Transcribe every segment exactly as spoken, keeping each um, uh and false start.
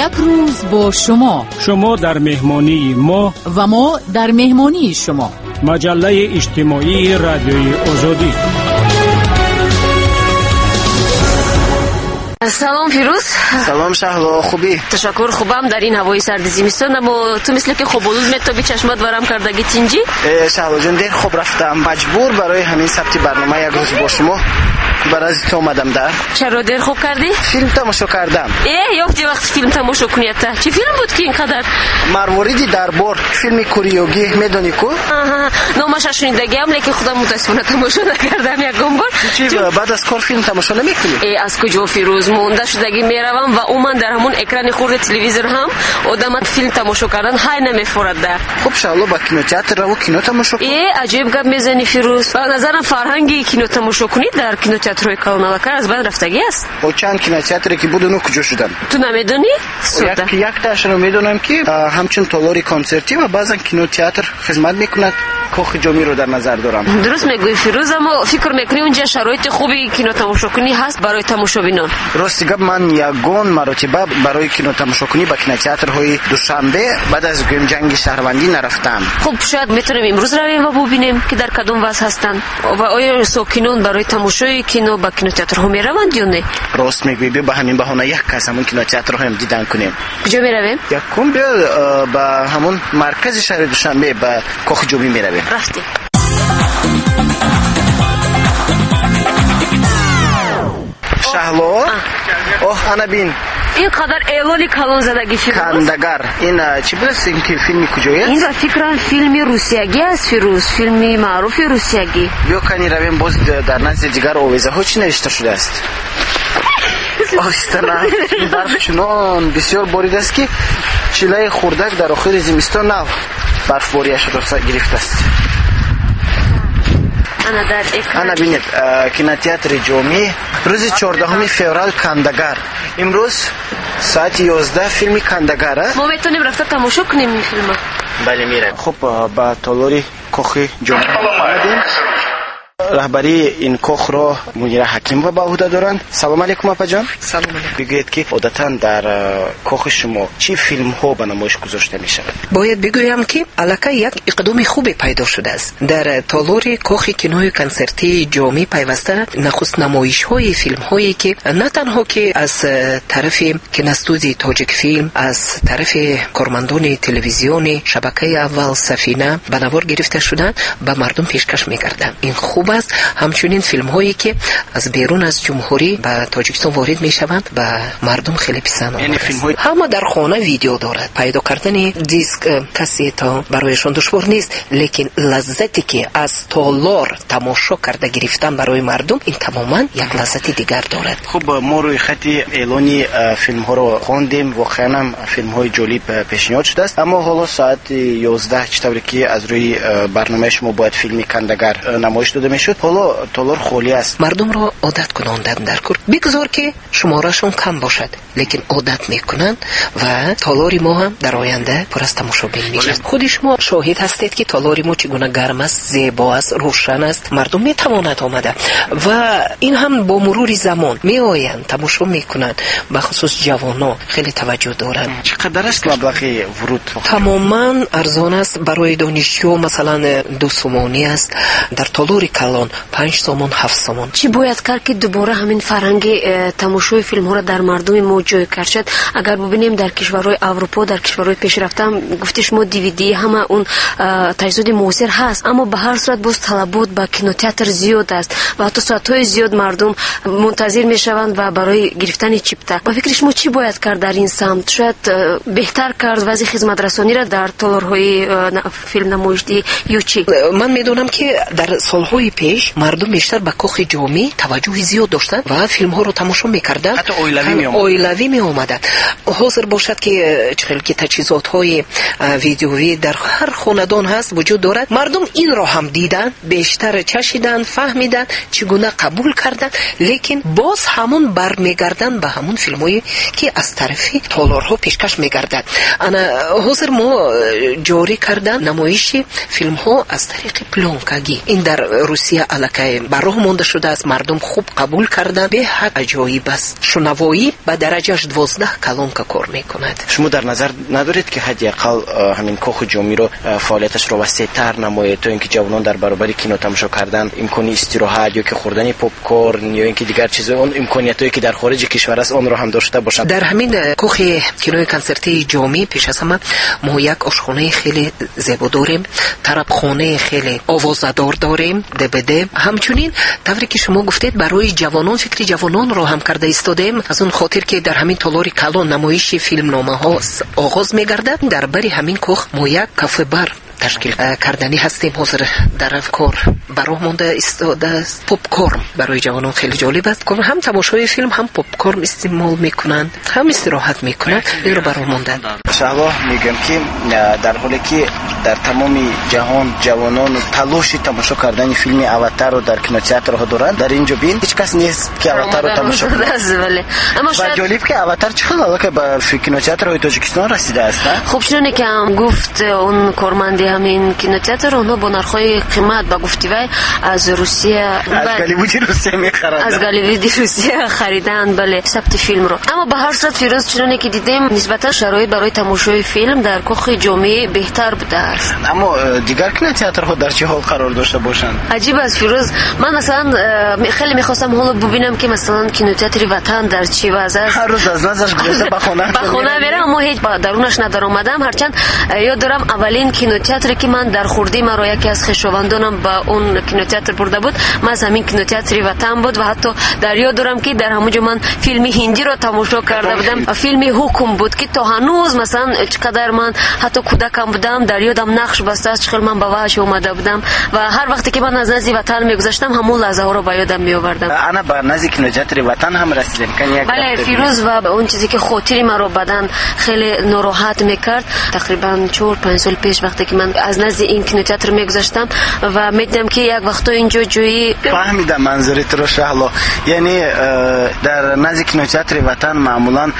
Як рӯз бо шумо. Шумо дар меҳмонии мо ва мо дар меҳмонии шумо. Маҷаллаи иҷтимоии Радиои Озодӣ. Салом Фирӯз. Салом Шаҳло, хубӣ? Ташаккур, хубам. Дар ин ҳавои сарди зимистон, аммо ту мисли ки хоболуд метобӣ, чашмат варам кардаги тинҷӣ? Э, Шаҳло ҷон, дер хоб рафтам. Маҷбур барои ҳамин сабти барнома як рӯз бо шумо барои ту омадам да. Чаро дер хоб кардӣ? Филм тамошо кардам. Э, ёфти вақт филм тамошо кунията. Чӣ филм буд ки инқадар? Марвориди дарбор, филми куриёгӣ, медонӣ ку? Аҳа, номаша шунидагиам, лекин худам мутаассифона тамошо накардам ягон бор. Чӣ, баъд аз кор филм тамошо намекунӣ? Э, аз куҷо Фирӯз, монда шудагӣ меравам ва умуман дар ҳамон экрани хурди телевизор ҳам одамат филм тамошо кардан ҳай намефорад да. Хуб Шаҳло, ба кинотеатр раву кино тамошо кун. Э, аҷоиб гап мезанӣ Фирӯз. Ба назарам фарҳанги кино тамошо кунӣ дар кинотеатрҳои калоналакар аз байн рафтагӣ аст. О, чанд кинотеатре ки буд, оно куҷо шуданд? Ту намедонӣ? Як яктаашро медонам ки ҳамчун толори консертӣ ва баъзан кинотеатр хизмат мекунад. Кохи Ҷомиро дар назар дорам. Дуруст мегӯӣ Фирӯз, аммо фикр мекунӣ унҷа шароити хуби кинотамошокунӣ ҳаст барои тамошобинон? Рости гап, ман ягон маротиба барои кинотамошокунӣ ба кинотеатрҳои Душанбе баъд аз гӯем ҷанги шаҳрвандӣ нарафтам. Хуб, шояд метавонем имрӯз равем ва бубинем ки дар кадом вазъ ҳастанд ва оё сокинон барои тамошои кино ба кинотеатрҳо мераванд ё не? Рост мегӯӣ, биё ба ҳамин баҳона як кас ҳамон кинотеатрҳоям дидан кунем. Куҷо меравем? Якум биё ба ҳамон маркази шаҳри Душанбе ба Кохи Ҷомӣ меравем. Рафтем. Шаҳло, оҳ, ана бин. Ин қадар эълони калон задагӣ Фирӯз. Кандагар. Ин чӣ будааст? Ин ки филми куҷоест? Ин ба фикрам филми русиягӣ аст Фирӯз, филми маъруфи русиягӣ. Биё кани равем боз дар назди дигар овезаҳо чӣ навишта шудааст. Оҳиста на, барф чунон бисёр боридааст ки чилаи хурдак дар охири зимистон нав барфбориашро гирифтааст. Ана дар экран. Ана бинед, кинотеатри Ҷомӣ рӯзи чордаҳуми феврал Кандагар. Имрӯз соати ёздаҳ филми Кандагар. Мо метавонем рафта тамошо кунем ин филма? Бале, меравем. Хуб, ба толори Кохи Ҷомӣ омадем. Раҳбарии ин кохро Мунира Ҳакимова ба ӯҳда доранд. Салом алейкум апаҷон. Салом алейкум. Бигӯед ки одатан дар кохи шумо чӣ филмҳо ба намоиш гузошта мешавад? Бояд бигӯям ки аллакай як иқдоми хубе пайдо шудааст. Дар толори кохи кинои консертии Ҷомӣ пайваста нахуст намоишҳои филмҳое ки на танҳо ки аз тарафи киностудияи Тоҷикфилм, аз тарафи кормандони телевизиони шабакаи аввал Сафина ба навор гирифта шуданд, ба мардум пешкаш мекарданд. Ин хуб аст. Ҳамчунин филмҳое ки аз берун аз ҷумҳурӣ ба Тоҷикистон ворид мешаванд, ба мардум хеле писанд омадааст. Филмҳои ҳама дар хона видео дорад. Пайдо кардани диск, кассета барояшон душвор нест, лекин лаззате ки аз толор тамошо карда гирифтан барои мардум, ин тамоман як лаззати дигар дорад. Хуб, мо рӯи хати эълони филмҳоро хондем. Воқеан ҳам филмҳои ҷолиб пешниҳод шудааст. Аммо ҳоло соати ёздаҳ, чӣ тавре ки аз рӯи барномаи шумо бояд филми Кандагар намоиш дода мешуд, ҳоло толор холӣ аст. Мардумро одат кунондан дар кор. Бигзор ки шуморашон кам бошад, лекин одат мекунанд ва толори мо ҳам дар оянда пур аз тамошобин мешавад. Худи шумо шоҳид ҳастед ки толори мо чӣ гуна гарм аст, зебо аст, рӯшан аст. Мардум метавонад омада ва ин ҳам бо мурури замон меоянд, тамошо мекунанд. Бахусус ҷавонон хеле таваҷҷӯҳ доранд. Чӣ қадар аст маблағи вуруд? Тамоман арзон аст. Барои донишҷӯ масалан ду сомонӣ аст. Дар толори калон панҷ сомон, ҳафт сомон. Чӣ бояд кард ки дубора ҳамин фарҳанги тамошои филмҳоро дар мардуми мо ҷой кард? Шояд агар бубинем дар кишварҳои Аврупо, дар кишварҳои пешрафта, гуфти шумо ди ви ди, ҳама он таҷҳизоти муосир ҳаст, аммо ба ҳар сурат боз талабот ба кинотеатр зиёд аст ва ҳатто соатҳои зиёд мардум мунтазир мешаванд ва барои гирифтани чипта. Ба фикри шумо чӣ бояд кард дар ин самт? Шояд беҳтар кард вазъи хизматрасониро дар толорҳои филмнамоишдиҳӣ ё чӣ? Ман медонам ки дар солҳои пеш мардум бештар ба Кохи Ҷомӣ таваҷҷӯҳи зиёд доштанд ва филмҳоро тамошо мекарданд. Ҳатто оилавӣ меомаданд. плёнкавӣ меомаданд. Ҳозир бошад ки чӣ хел ки таҷҳизотҳои видеовӣ дар ҳар хонадон ҳаст, вуҷуд дорад, мардум инро ҳам диданд, бештар чашиданд, фаҳмиданд, чӣ гуна қабул карданд, лекин боз ҳамун бармегарданд ба ҳамун филмҳое ки аз тарафи толорҳо пешкаш мегардад. Ана ҳозир мо ҷорӣ кардан намоиши филмҳо аз тариқи плёнкагӣ. Ин дар Русия аллакай ба роҳ монда шудааст, мардум хуб қабул карданд, беҳад аҷоиб аст. Шунавоӣ ба дараҷаш дувоздаҳ колонка кор мекунад. Шумо дар назар надоред ки ҳадди ақал ҳамин кохи ҷомиро фаъолияташро васеътар намоед, то ин ки ҷавонон дар баробари кино тамошо кардан имкони истироҳат ё ки хӯрдани попкорн ё ин ки дигар чизҳо, он имкониятҳое ки дар хориҷи кишвар аст, онро ҳам дошта бошанд? Дар ҳамин кохи кинои консертии ҷомӣ пеш аз ҳама мо як ошхонаи хеле зебо дорем, тарабхонаи хеле овозадор дорем, ДБД. Ҳамчунин тавре ки шумо гуфтед, барои ҷавонон фикри ҷавононро ҳам карда истодаем, аз он хотир ки дар ҳамин толори калон намоиши филмномаҳо оғоз мегардад. Дар бари ҳамин кох мо як кафе-бар ташкил кардани ҳастем. Ҳозир дар кор ба роҳ монда истодааст. Попкорн барои ҷавонон хеле ҷолиб аст. Ҳам тамошои филм, ҳам попкорн истеъмол мекунанд, ҳам истироҳат мекунанд. Инро ба роҳ монданд. Шаҳло, мегӯям ки дар ҳоле ки дар тамоми ҷаҳон ҷавонон талоши тамошо кардани филми Аватарро дар кинотеатрҳо доранд, дар ин ҷо бин ҳеҷ кас нест ки Аватарро тамошо кунад. Ва ҷолиб ки Аватар чӣ хел аллакай ба кинотеатрҳои Тоҷикистон расидааст. Хуб, чуноне ки ҳам гуфт он корманди ҳамин кинотеатр, онҳо бо нархҳои қимат, ба гуфти вай, аз Русия, аз Голливуди Русия мехаранд, аз Голливуди Русия хариданд, бале, сабти филмро. Аммо ба ҳар сурат, Фирӯз, чуноне ки дидем, нисбатан шароит барои тамошои филм дар кохи ҷомӣ беҳтар будааст. Аммо дигар кинотеатрҳо дар чӣ ҳол қарор дошта бошанд? Аҷиб аст, Фирӯз. Ман масалан хеле мехостам ҳоло бубинам ки масалан кинотеатри Ватан дар чӣ вазъ аст. Ҳар рӯз аз наздаш гузашта ба хона ба хона мерам, аммо ҳеҷ ба дарунаш надаромадам. Ҳарчанд ёд дорам аввалин кинотеатре ки ман дар хурдӣ маро яке аз хешовандонам ба он кинотеатр бурда буд, ман аз ҳамин кинотеатри Ватан буд ва ҳатто дар ёд дорам ки дар ҳамон ҷо ман филми ҳиндиро тамошо карда будам. Филми Ҳукм буд ки то ҳанӯз масалан чӣ қадар ман ҳатто кӯдакам будам, дар ёдам нақш бастааст, чӣ хел ман ба ваҳш омада будам ва ҳар вақте ки ман аз назди Ватан мегузаштам, ҳамон лаҳзаҳоро ба ёдам меовардам. Ана ба назди кинотеатри Ватан ҳам расидем. Бале, Фирӯз, ва он чизе ки хотири маро бадан хеле нороҳат мекард, тақрибан чор панҷ сол пеш вақте ки ман аз назди ин кинотеатр мегузаштам ва медидам ки як вақто инҷо ҷои фаҳмидам манзури туро, Шаҳло. Яъне дар назди кинотеатри Ватан маъмулан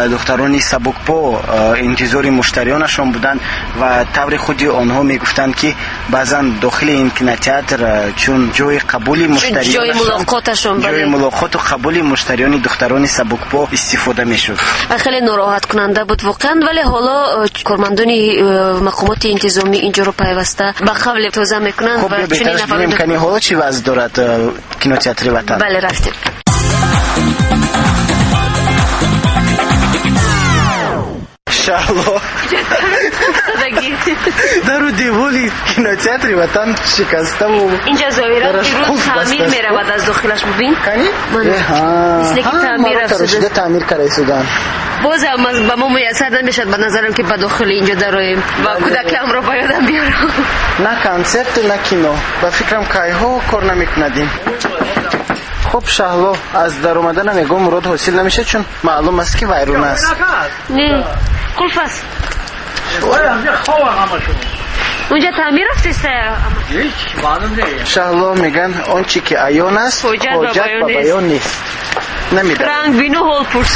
духтарони сабукпо интизори муштариёнашон буданд ва таври худи онҳо мегуфтанд ки баъзан дохили ин кинотеатр чун ҷои қабули муштариён, ҷои мулоқоташон, ҷои мулоқоту қабули муштариёни духтарони сабукпо истифода мешуд. Хеле нороҳаткунанда буд воқеан, вале ҳоло кормандони мақомоти интизомӣ инҷоро пайваста ба қавле тоза мекунанд. Хуб, чунин нафар имкони ҳоло чӣ вазъ дорад кинотеатри Ватан? Бале, рафтем. Шаҳло, дару девори кинотеатри Ватан шикаставу инҷа зоҳиран Фирӯз таъмир меравад аз дохилаш, бубин. Кани? Мисли ки таъмир рафтуда, таъмир карда истоданд. Боз ҳам ба мо муяссар намешавад ба назарам ки ба дохили инҷо дароем ва кӯдакамро ба ёдам биёрам. На консерту, на кино. Ба фикрам кайҳо кор намекунадим. Хуб, Шаҳло, аз даромаданам ягон мурод ҳосил намешавад, чун маълум аст ки вайрон аст. Не, қулф аст. Унҷа таъмир рафтеста? Шаҳло, меган он чи ки аён аст, ҳоҷат ба баён нест. Намедонам. Ранг бину ҳол пурс.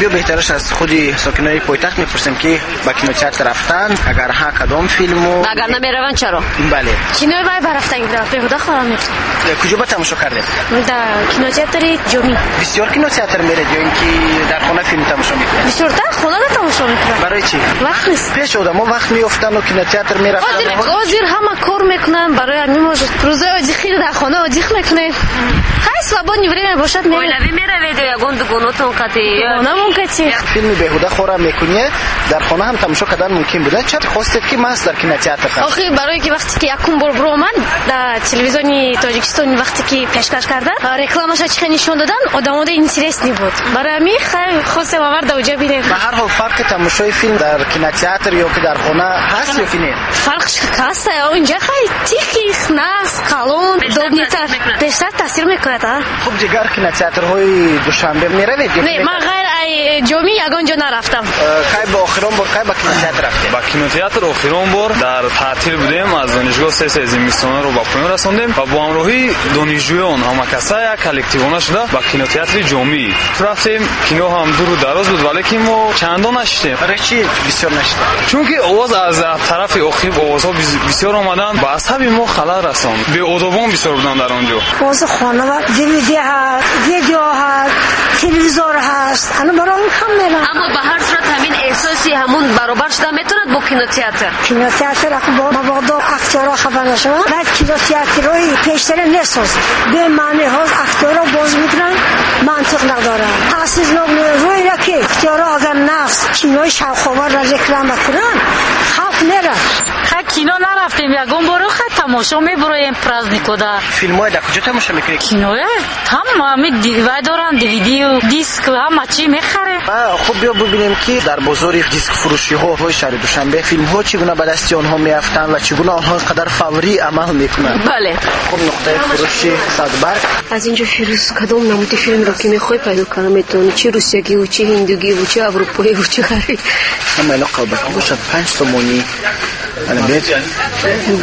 Биё беҳтараш аз худи сокинои пойтахт мепурсем ки ба кинотеатр рафтанд, агар ҳа кадом филму, агар намераванд чаро? Бале, кинои вай барафтанг будам, беҳуда хорам мефтам. Куҷо ба тамошо кардед? Дар кинотеатри Ҷомӣ. Бисёр кинотеатр меред ё ин ки дар хона филм тамошо мекунед? Бисёртар хонада тамошо мекунам. Барои чӣ? Вақт нест. Пеш одамо вақт меёфтанду кинотеатр мерафтанд. Ҳозир ҳама кор мекунанд, барои ҳамин мо рӯзои одихиро дар хона одих мекунем. Ҳай Свободное время бошад меравем. Оилавӣ меравед ё ягон дугонотон қати? Дугонамон қати. Филми беҳуда хора мекунӣ дар хона ҳам тамошо кардан мумкин буда. Чаро хостед ки маҳз дар кинотеатр? Охи барое ки вақте ки якум бор баромад дар телевизиони Тоҷикистон, вақте ки пешкаш кардан, рекламаша чӣ нишон додан, одамода интересный буд. Барои ҳамин хостем аввал дар оҷа бинем. Ба ҳар ҳол фарқи тамошои филм дар кинотеатр ё ки дар хона ҳаст ё ки не? Фарқ ҳаст. Онҷа хай тихи, нағз, калон, удобнитар. Бештар таъсир мекунад. Хуб, дигар кинотеатрҳои Душанбе меравед? Не, ман ғайр ай Ҷомӣ ягон ҷо нарафтам. Кай ба охирон бор кай ба кинотеатр рафтед? Ба кинотеатр охирон бор дар таътил будем, аз донишгоҳ сессияи зимистонаро ба поён расондем ва бо ҳамроҳии донишҷӯён ҳамакаса як коллективона шуда ба кинотеатри Ҷомӣ рафтем. Кино ҳам дуру дароз буд, валекин мо чандон нашидем. Барои чӣ бисёр нашидем? Чунки овоз аз тарафи охир овозҳо бисёр омаданд, ба асаби мо халал расонд. Беодобон бисёр буданд дар он ҷо. Боз хона ва ДВД ҳаст, видео ҳаст, телевизор ҳаст. Ана барои кам мерам. Аммо ба ҳар сурат ҳамин эҳсоси ҳамун баробар шуда метавонад бо кинотеатр. Кинотеатр бо мабодо актёрҳо хафа нашаванд. Баъд кинотеатрҳои пештара несозанд. Бемаъни ҳоз актёрҳо боз мекунанд, мантиқ надоранд. Таъсирнок рӯйра ки актёрҳо агар нағз кинои шавқоварро реклама кунанд, халқ меравад. Хай кино нарафтем ягон боро, хай тамошо мебуроем праздникода. Филмҳои дар куҷо тамошо мекунед? Киноя ҳама вай доранд, ДВД, диск, ҳама чӣ мехарем. Хуб, биё бибинем ки дар бозори дискфурӯшиҳои шаҳри Душанбе филмҳо чӣ гуна ба дасти онҳо меафтанд ва чӣ гуна онҳо қадар фаврӣ амал мекунанд. Бале. Хуб, нуқтаи фурӯши Садбарг. Аз инҷо Фирӯз кадом намуди филмро ки мехоҳӣ пайдо карда метавонӣ? Чӣ русиягиву, чӣ ҳиндугиву, чӣ аврупоиву, чӣ ғарбӣ. Ҳама ино қалбакӣ бошад, панҷ сомонӣ.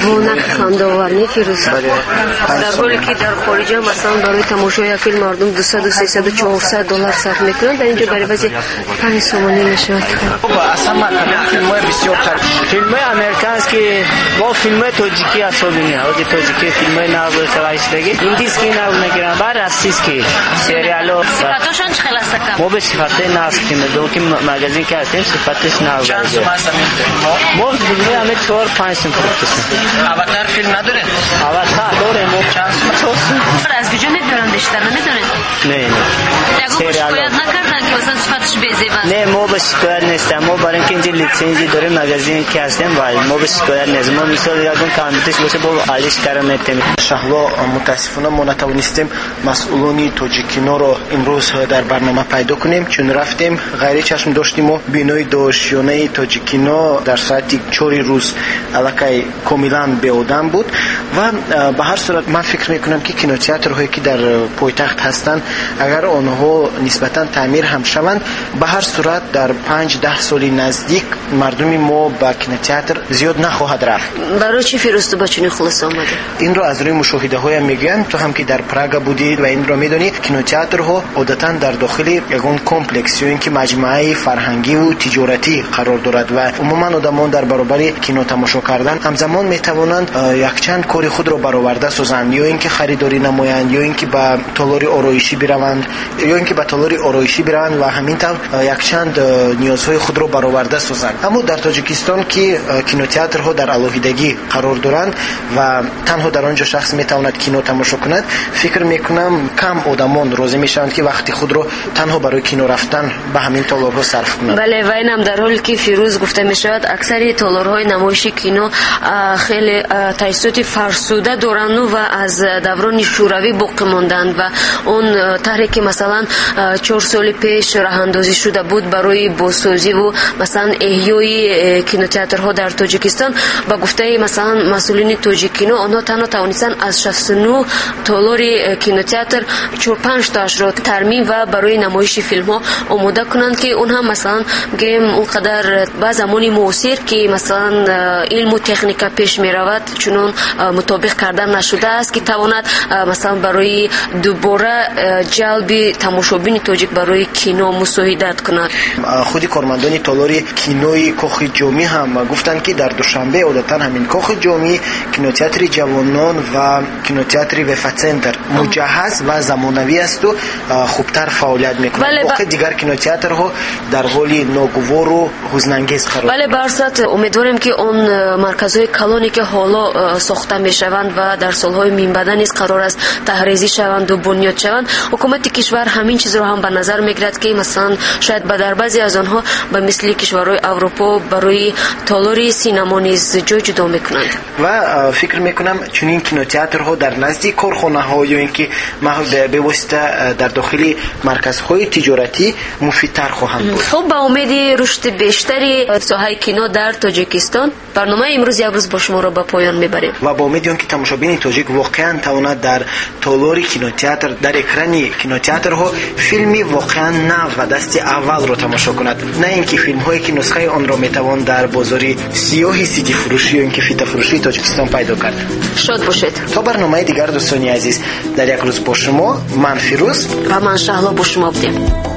Бо нархи хандаовар, не Фирӯз? Дар ҳоле ки дар хориҷа масалан барои тамошои як филм мардум дусаду сесаду чорсад доллар сарф мекунанд, дар инҷо барои баъзе панҷ сомонӣ мешавад. Аз ҳама кадом филмҳои бисёртар? Филмҳои американский бо филмҳои тоҷикӣ асобини. Ҳози тоҷикӣ филмҳои нав савайшидаги, индийский нав мегиранд, баъд российский сериало. Сифатошон чӣ хел аст ака? Мо бе сифатҳои нав филм, ки магазин ки ҳастем сифаташ нав. Чанд сум аст ҳамин филмҳо? Мо филмҳои ҳаме чор панҷ сум фурӯхтем. Аватар филм надоред? Аватар дорем. Чанд сум? Чор сум. Аз куҷо мебаранд бештар, намедонед? Не, не. Ягон шикоят накарданд ки масалан сифаташ безеб аст? Не, мо ба шикоят нестем. Мо барои инки инҷо литсензия дорем, магазин ки ҳастем, ва мо ба шикоят нестем. Мо мисол ягон компютерш боша, бо алиш кара метем. Шаҳло, мутаассифона мо натавонистем масъулони Тоҷикиноро имрӯз дар барнома пайдо кунем, чун рафтем ғайричашм доштем мо бинои дошёнаи Тоҷикино дар соати чори рӯз аллакай комилан беодам буд ва ба ҳар сурат ман фикр мекунам ки кинотеатрҳое ки дар пойтахт ҳастанд, агар онҳо нисбатан таъмир ҳам шаванд, ба ҳар сурат дар панҷ даҳ соли наздик мардуми мо ба кинотеатр зиёд нахоҳад рафт. Барои чӣ Фирӯз ту ба чунин хулоса омадӣ? Инро аз рӯи мушоҳидаҳоям мегӯям. Ту ҳам ки дар Прага будӣ ва инро медонӣ, кинотеатрҳо одатан дар дохили ягон комплекс ё ин ки маҷмӯаи фарҳангиву тиҷоратӣ қарор дорад ва умуман одамон дар баробари кино тамошо кардан ҳамзамон метавонанд якчанд кори худро бароварда созанд, ё ин ки харидорӣ намоянд, ё ин ки ба толори ороишӣ бираванд, ё ин ки ба толори ороишӣ бираванд ва ҳамин тавр якчанд ниёзҳои худро бароварда созанд. Аммо дар Тоҷикистон ки кинотеатрҳо дар алоҳидагӣ қарор доранд ва танҳо дар он ҷо шахс метавонад кино тамошо кунад, фикр мекунам кам одамон розӣ мешаванд ки вақти худро танҳо барои кино рафтан ба ҳамин толорҳо сарф кунанд. Бале, ва инам дар ҳоле ки Фирӯз гуфта мешавад, аксари толорҳои намоиши кино хеле таҷҳизоти фарсуда доранду ва аз даврони шӯравӣ боқӣ монданд ва он тарҳе ки масалан чор соли пеш роҳандозӣ шуда буд барои бозсозиву масалан эҳёи кинотеатрҳо дар Тоҷикистон, ба гуфтаи масалан масъулини Тоҷикино, онҳо танҳо тавонистанд аз шасту нӯҳ толори кинотеатр чор панҷ тоашро тармим ва барои намоиши филмҳо омода кунанд, ки он ҳам масалан гӯем он қадар ба замони муосир ки масалан илму техника пеш меравад чунон мутобиқ карда нашудааст ки тавонад масалан барои дубора ҷалби тамошобини тоҷик барои кино мусоидат кунад. мекунад. Худи кормандони толори кинои Кохи Ҷомӣ ҳам гуфтанд, ки дар Душанбе одатан ҳамин Кохи Ҷомӣ, кинотеатри ҷавонон ва кинотеатри Вефа-центр муҷаҳҳаз ва замонавӣ асту хубтар фаъолият мекунад. Боқи дигар кинотеатрҳо дар ҳоли ногувору ҳузнангез қарор. Бале, ба ҳар сурат умедворем, ки он марказҳои калоне, ки ҳоло сохта мешаванд ва дар солҳои минбаъда низ қарор аст таҳрезӣ шаванду бунёд шаванд, ҳукумати кишвар ҳамин чизро ҳам ба назар мегирад, ки масалан шояд ба дар баъзе аз онҳо ба мисли кишварҳои Аврупо барои толори синамо низ ҷой ҷудо мекунанд. Ва фикр мекунам чунин кинотеатрҳо дар назди корхонаҳо ё ин ки бевосита дар дохили марказҳои тиҷоратӣ муфидтар хоҳанд буд. Хуб, ба умеди рушди бештари соҳаи кино дар Тоҷикистон барномаи имрӯз як рӯз бо шуморо ба поён мебарем ва ба умеди он ки тамошобини тоҷик воқеан тавонад дар толори кинотеатр, дар экрани кинотеатрҳо филми воқеан нав ва дасти аввалро тамошо кунад, на ин ки филмҳое ки нусхаи онро метавон дар бозори сиёҳи сидифурӯшӣ ё ин ки фитафурӯшии Тоҷикистон пайдо кард. Шод бошед. То барномаи дигар, дӯстони азиз, дар як рӯз бо шумо ман Фирӯз ва ман Шаҳло бо шумо будем.